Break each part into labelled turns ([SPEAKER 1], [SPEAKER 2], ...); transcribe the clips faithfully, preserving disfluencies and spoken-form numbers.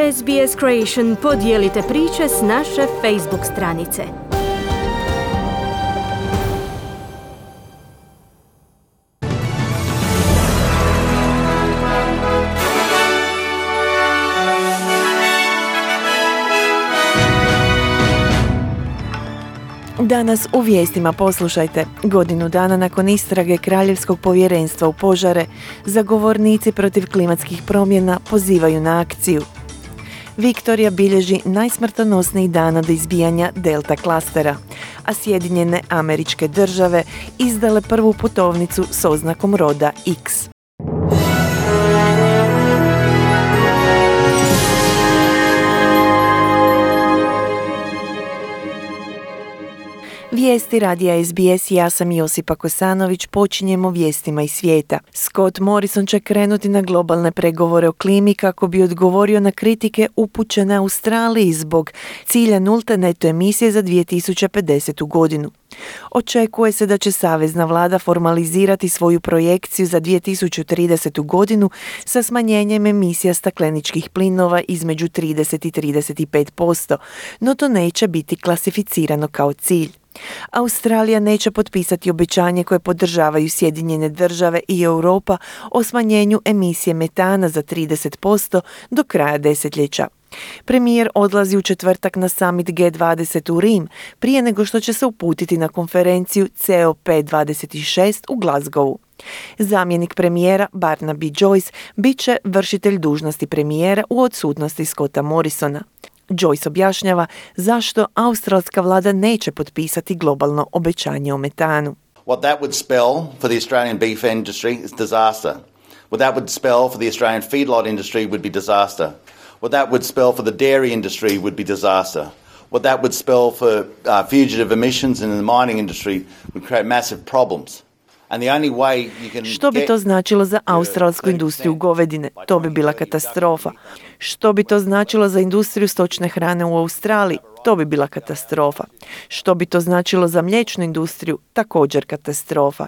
[SPEAKER 1] S B S Creation podijelite priče s naše Facebook stranice.
[SPEAKER 2] Danas u vijestima poslušajte. Godinu dana nakon istrage Kraljevskog povjerenstva u požare, zagovornici protiv klimatskih promjena pozivaju na akciju. Viktorija bilježi najsmrtonosniji dan od izbijanja Delta klastera, a Sjedinjene Američke Države izdale prvu putovnicu s oznakom roda X. Vijesti radija S B S, ja sam Josipa Kosanović, počinjemo vijestima iz svijeta. Scott Morrison će krenuti na globalne pregovore o klimi kako bi odgovorio na kritike upućene Australiji zbog cilja nulte neto emisije za dvije tisuće pedesetu godinu. Očekuje se da će savezna vlada formalizirati svoju projekciju za dvije tisuće tridesetu godinu sa smanjenjem emisija stakleničkih plinova između trideset i trideset pet posto, no to neće biti klasificirano kao cilj. Australija neće potpisati obećanje koje podržavaju Sjedinjene Države i Europa o smanjenju emisije metana za trideset posto do kraja desetljeća. Premijer odlazi u četvrtak na summit G dvadeset u Rim prije nego što će se uputiti na konferenciju C O P dvadeset šest u Glasgowu. Zamjenik premijera Barnaby Joyce bit će vršitelj dužnosti premijera u odsutnosti Scotta Morrisona. Joyce objašnjava zašto australska vlada neće potpisati globalno obećanje o metanu.
[SPEAKER 3] What that would spell for the Australian beef industry is disaster. What that would spell for the Australian feedlot industry would be disaster. What that would spell for the dairy industry would be disaster. What that would spell for uh, fugitive emissions in the mining industry would create massive problems.
[SPEAKER 2] Što bi to značilo za australsku industriju govedine? To bi bila katastrofa. Što bi to značilo za industriju stočne hrane u Australiji? To bi bila katastrofa. Što bi to značilo za mliječnu industriju? Također katastrofa.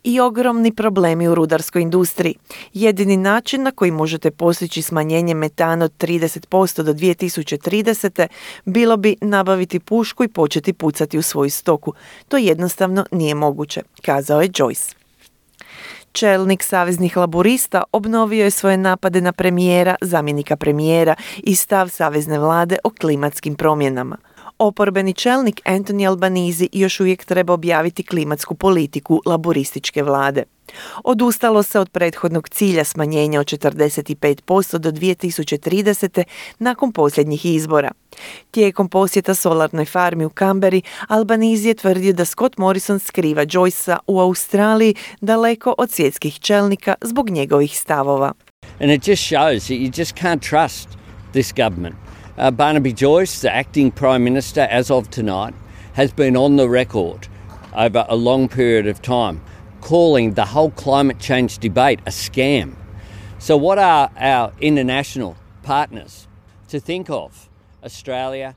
[SPEAKER 2] I ogromni problemi u rudarskoj industriji. Jedini način na koji možete postići smanjenje metana od trideset posto do dvije tisuće tridesete bilo bi nabaviti pušku i početi pucati u svoju stoku. To jednostavno nije moguće, kazao je Joyce. Čelnik saveznih laburista obnovio je svoje napade na premijera, zamjenika premijera i stav savezne vlade o klimatskim promjenama. Oporbeni čelnik Anthony Albanese još uvijek treba objaviti klimatsku politiku laburističke vlade. Odustalo se od prethodnog cilja smanjenja od četrdeset pet posto do dvije tisuće tridesete nakon posljednjih izbora. Tijekom posjeta solarnoj farmi u Canberri, Albanese je tvrdio da Scott Morrison skriva Joycea u Australiji daleko od svjetskih čelnika zbog njegovih stavova.
[SPEAKER 4] And it just shows that you just can't trust this government. Uh, Barnaby Joyce, the acting Prime Minister as of tonight, has been on the record over a long period of time calling the whole climate change debate a scam. So what are our international partners to think of? Australia,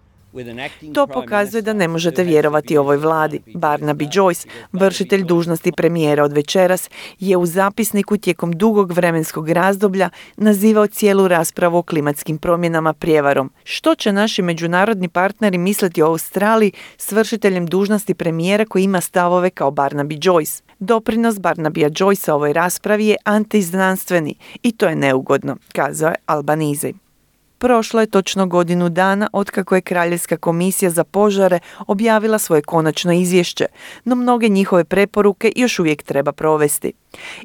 [SPEAKER 2] to pokazuje da ne možete vjerovati ovoj vladi. Barnaby Joyce, vršitelj dužnosti premijera od večeras, je u zapisniku tijekom dugog vremenskog razdoblja nazivao cijelu raspravu o klimatskim promjenama prijevarom. Što će naši međunarodni partneri misliti o Australiji s vršiteljem dužnosti premijera koji ima stavove kao Barnaby Joyce? Doprinos Barnabya Joycea ovoj raspravi je antiznanstveni i to je neugodno, kazao je Albanese. Prošlo je točno godinu dana otkako je Kraljevska komisija za požare objavila svoje konačno izvješće, no mnoge njihove preporuke još uvijek treba provesti.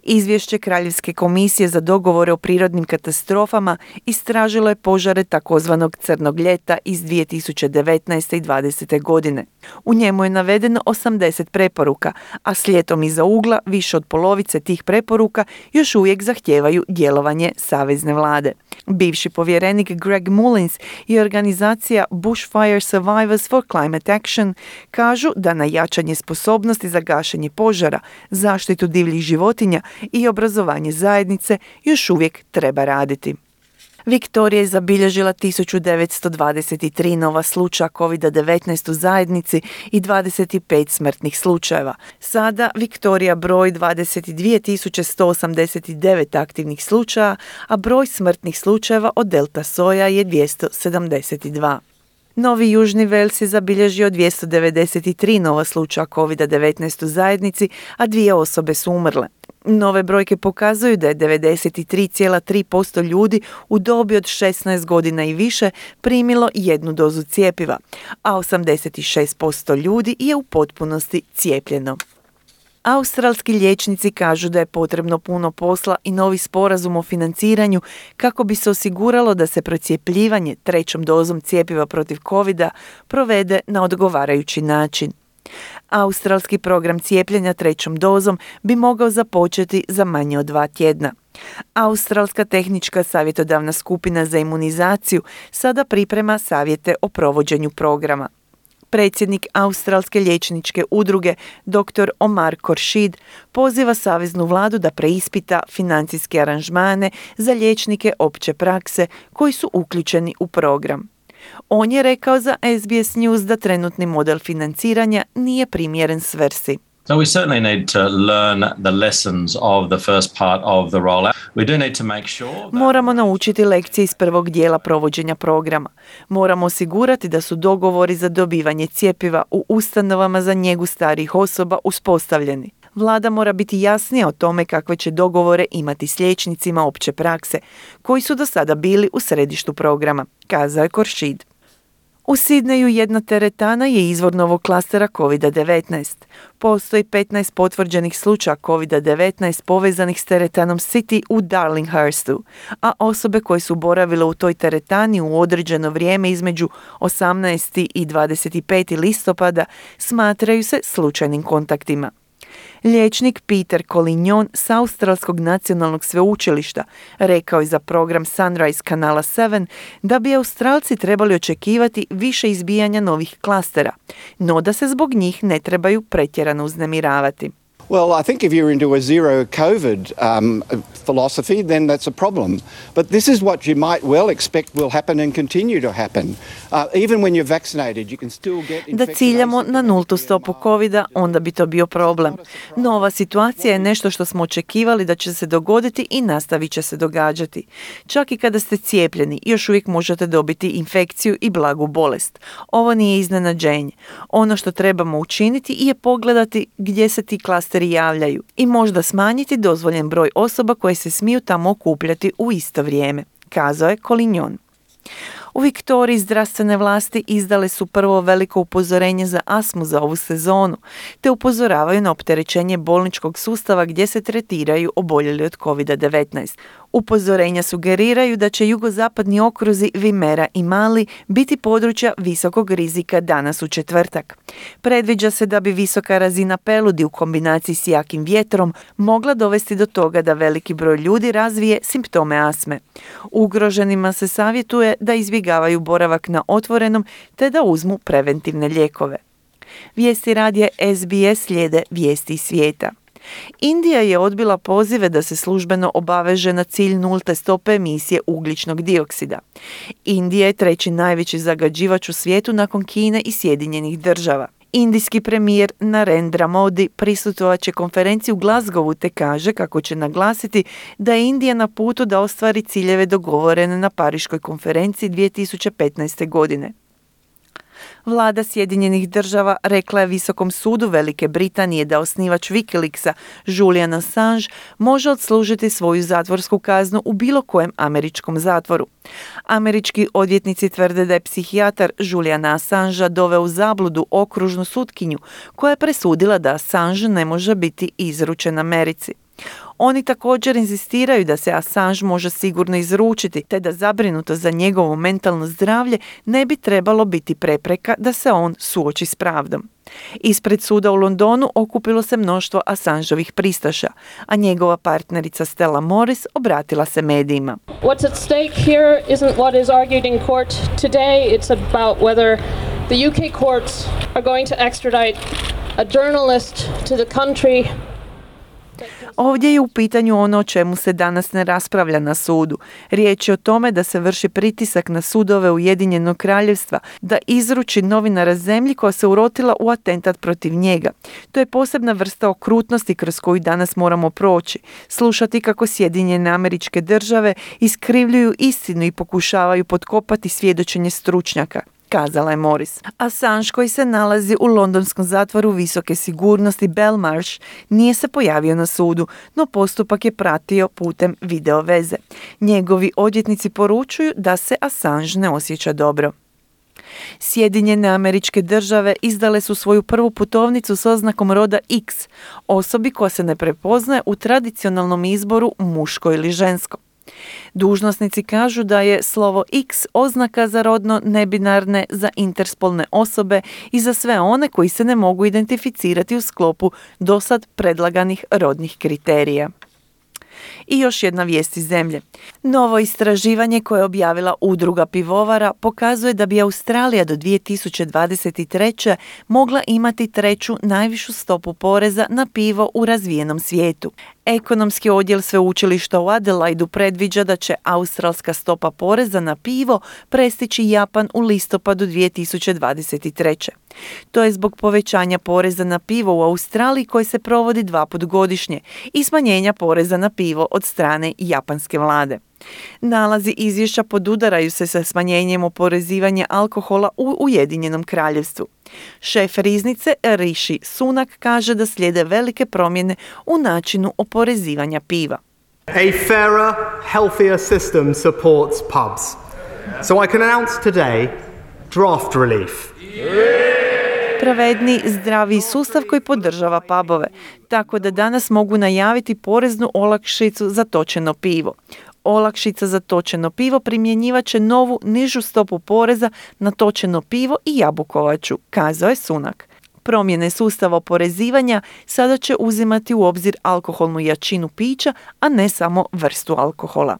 [SPEAKER 2] Izvješće Kraljevske komisije za dogovore o prirodnim katastrofama istražilo je požare takozvanog crnog ljeta iz dvije tisuće devetnaeste i dvadesete godine. U njemu je navedeno osamdeset preporuka, a s ljetom iza ugla više od polovice tih preporuka još uvijek zahtijevaju djelovanje savezne vlade. Bivši povjerenik Greg Mullins i organizacija Bushfire Survivors for Climate Action kažu da na jačanje sposobnosti za gašenje požara, zaštitu divljih životinja i obrazovanje zajednice još uvijek treba raditi. Viktorija je zabilježila tisuću devetsto dvadeset tri nova slučaja kovid devetnaest u zajednici i dvadeset pet smrtnih slučajeva. Sada Viktorija broji dvadeset dvije tisuće sto osamdeset devet aktivnih slučaja, a broj smrtnih slučajeva od delta soja je dvjesto sedamdeset dva. Novi Južni Vels je zabilježio dvjesto devedeset tri nova slučaja kovid devetnaest u zajednici, a dvije osobe su umrle. Nove brojke pokazuju da je devedeset tri zarez tri posto ljudi u dobi od šesnaest godina i više primilo jednu dozu cjepiva, a osamdeset šest posto ljudi je u potpunosti cijepljeno. Australski liječnici kažu da je potrebno puno posla i novi sporazum o financiranju kako bi se osiguralo da se procjepljivanje trećom dozom cjepiva protiv covida provede na odgovarajući način. Australski program cijepljenja trećom dozom bi mogao započeti za manje od dva tjedna. Australska tehnička savjetodavna skupina za imunizaciju sada priprema savjete o provođenju programa. Predsjednik Australske liječničke udruge dr. Omar Khorshid poziva saveznu vladu da preispita financijske aranžmane za liječnike opće prakse koji su uključeni u program. On je rekao za S B S News da trenutni model financiranja nije primjeren svrsi.
[SPEAKER 5] So we certainly need to learn the lessons of the first part of the rollout. We do need to make sure that...
[SPEAKER 2] Moramo naučiti lekcije iz prvog dijela provođenja programa. Moramo osigurati da su dogovori za dobivanje cjepiva u ustanovama za njegu starijih osoba uspostavljeni. Vlada mora biti jasnija o tome kakve će dogovore imati s liječnicima opće prakse, koji su do sada bili u središtu programa, kazao je Khorshid. U Sidneju jedna teretana je izvor novog klastera kovid devetnaest. Postoji petnaest potvrđenih slučaja kovid devetnaest povezanih s teretanom City u Darlinghurstu, a osobe koje su boravile u toj teretani u određeno vrijeme između osamnaestog i dvadeset petog listopada smatraju se slučajnim kontaktima. Liječnik Peter Collignon s Australskog nacionalnog sveučilišta rekao je za program Sunrise kanala sedam da bi Australci trebali očekivati više izbijanja novih klastera, no da se zbog njih ne trebaju pretjerano uznemiravati.
[SPEAKER 6] Well, I think if you're into a zero COVID um, philosophy, then that's a problem. But this is what you might well expect will happen and continue to happen. Uh, even when you're vaccinated, you can still get
[SPEAKER 2] Da ciljamo na nultu stopu covida, onda bi to bio problem. No ova situacija je nešto što smo očekivali da će se dogoditi i nastavit će se događati. Čak i kada ste cijepljeni, još uvijek možete dobiti infekciju i blagu bolest. Ovo nije iznenađenje. Ono što trebamo učiniti je pogledati gdje se ti klasteri javljaju i možda smanjiti dozvoljen broj osoba koje se smiju tamo okupljati u isto vrijeme, kazao je Collignon. U Viktoriji zdravstvene vlasti izdale su prvo veliko upozorenje za astmu za ovu sezonu, te upozoravaju na opterećenje bolničkog sustava gdje se tretiraju oboljeli od kovid devetnaest. Upozorenja sugeriraju da će jugozapadni okruzi Vimera i Mali biti područja visokog rizika danas u četvrtak. Predviđa se da bi visoka razina peludi u kombinaciji s jakim vjetrom mogla dovesti do toga da veliki broj ljudi razvije simptome astme. Ugroženima se savjetuje da izbjegavaju boravak na otvorenom te da uzmu preventivne lijekove. Vijesti radija S B S slijede vijesti iz svijeta. Indija je odbila pozive da se službeno obaveže na cilj nulte stope emisije ugljičnog dioksida. Indija je treći najveći zagađivač u svijetu nakon Kine i Sjedinjenih država. Indijski premijer Narendra Modi prisustvovat će konferenciji u Glasgowu te kaže kako će naglasiti da je Indija na putu da ostvari ciljeve dogovorene na Pariškoj konferenciji dvije tisuće petnaeste. godine. Vlada Sjedinjenih država rekla je Visokom sudu Velike Britanije da osnivač Wikileaksa Julian Assange može odslužiti svoju zatvorsku kaznu u bilo kojem američkom zatvoru. Američki odvjetnici tvrde da je psihijatar Juliana Assangea doveo u zabludu okružnu sutkinju koja je presudila da Assange ne može biti izručen Americi. Oni također inzistiraju da se Assange može sigurno izručiti, te da zabrinuto za njegovo mentalno zdravlje ne bi trebalo biti prepreka da se on suoči s pravdom. Ispred suda u Londonu okupilo se mnoštvo Assangeovih pristaša, a njegova partnerica Stella Morris obratila se medijima.
[SPEAKER 7] What's at stake here isn't what is argued in court today. It's about whether the U K courts are going to extradite a journalist to the country
[SPEAKER 2] Ovdje je u pitanju ono o čemu se danas ne raspravlja na sudu. Riječ je o tome da se vrši pritisak na sudove Ujedinjenog kraljevstva da izruči novinara zemlji koja se urotila u atentat protiv njega. To je posebna vrsta okrutnosti kroz koju danas moramo proći. Slušati kako Sjedinjene Američke Države iskrivljuju istinu i pokušavaju potkopati svjedočenje stručnjaka, kazala je Morris. Assange, koji se nalazi u londonskom zatvoru visoke sigurnosti Belmarsh, nije se pojavio na sudu, no postupak je pratio putem video veze. Njegovi odvjetnici poručuju da se Assange ne osjeća dobro. Sjedinjene Američke Države izdale su svoju prvu putovnicu s oznakom roda X, osobi koja se ne prepoznaje u tradicionalnom izboru muško ili žensko. Dužnosnici kažu da je slovo X oznaka za rodno nebinarne, za interspolne osobe i za sve one koji se ne mogu identificirati u sklopu dosad predlaganih rodnih kriterija. I još jedna vijest iz zemlje. Novo istraživanje koje je objavila Udruga pivovara pokazuje da bi Australija do dvije tisuće dvadeset treće mogla imati treću najvišu stopu poreza na pivo u razvijenom svijetu. Ekonomski odjel sveučilišta u Adelaidu predviđa da će australska stopa poreza na pivo prestići Japan u listopadu dvije tisuće dvadeset treće. To je zbog povećanja poreza na pivo u Australiji koji se provodi dva put godišnje i smanjenja poreza na pivo od strane japanske vlade. Nalazi izvješća podudaraju se sa smanjenjem oporezivanja alkohola u Ujedinjenom kraljevstvu. Šef riznice Rishi Sunak kaže da slijede velike promjene u načinu oporezivanja piva.
[SPEAKER 8] A fairer, healthier system supports pubs. So I can announce today draft relief.
[SPEAKER 2] Pravedni, zdravi sustav koji podržava pubove, tako da danas mogu najaviti poreznu olakšicu za točeno pivo. Olakšica za točeno pivo primjenjivat će novu nižu stopu poreza na točeno pivo i jabukovaču, kazao je Sunak. Promjene sustava oporezivanja sada će uzimati u obzir alkoholnu jačinu pića, a ne samo vrstu alkohola.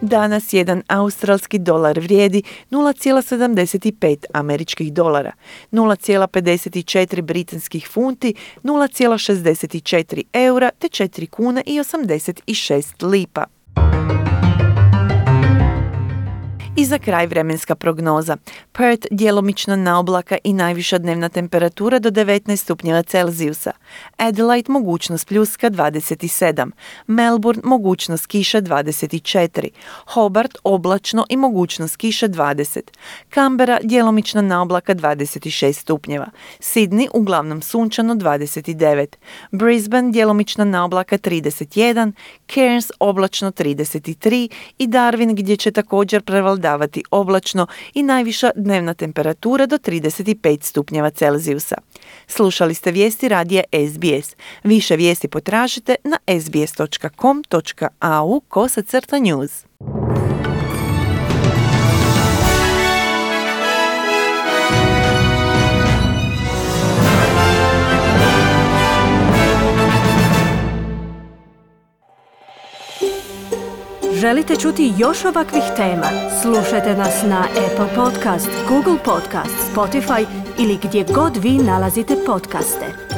[SPEAKER 2] Danas jedan australski dolar vrijedi nula zarez sedamdeset pet američkih dolara, nula zarez pedeset četiri britanskih funti, nula zarez šezdeset četiri eura te četiri kune i osamdeset šest lipa. I za kraj vremenska prognoza. Perth djelomično na oblaka i najviša dnevna temperatura do devetnaest stupnjeva Celzijusa. Adelaide mogućnost pljuska dvadeset sedam. Melbourne mogućnost kiše dvadeset četiri. Hobart oblačno i mogućnost kiše dvadeset. Canberra djelomično na oblaka dvadeset šest stupnjeva. Sydney uglavnom sunčano dvadeset devet. Brisbane djelomično na oblaka trideset jedan. Cairns oblačno trideset tri i Darwin gdje će također prevladavati davati oblačno i najviša dnevna temperatura do trideset pet stupnjeva Celzijusa. Slušali ste vijesti radija S B S. Više vijesti potražite na sbs točka com točka a u kosacrta news.
[SPEAKER 1] Želite čuti još ovakvih tema? Slušajte nas na Apple Podcast, Google Podcast, Spotify ili gdje god vi nalazite podcaste.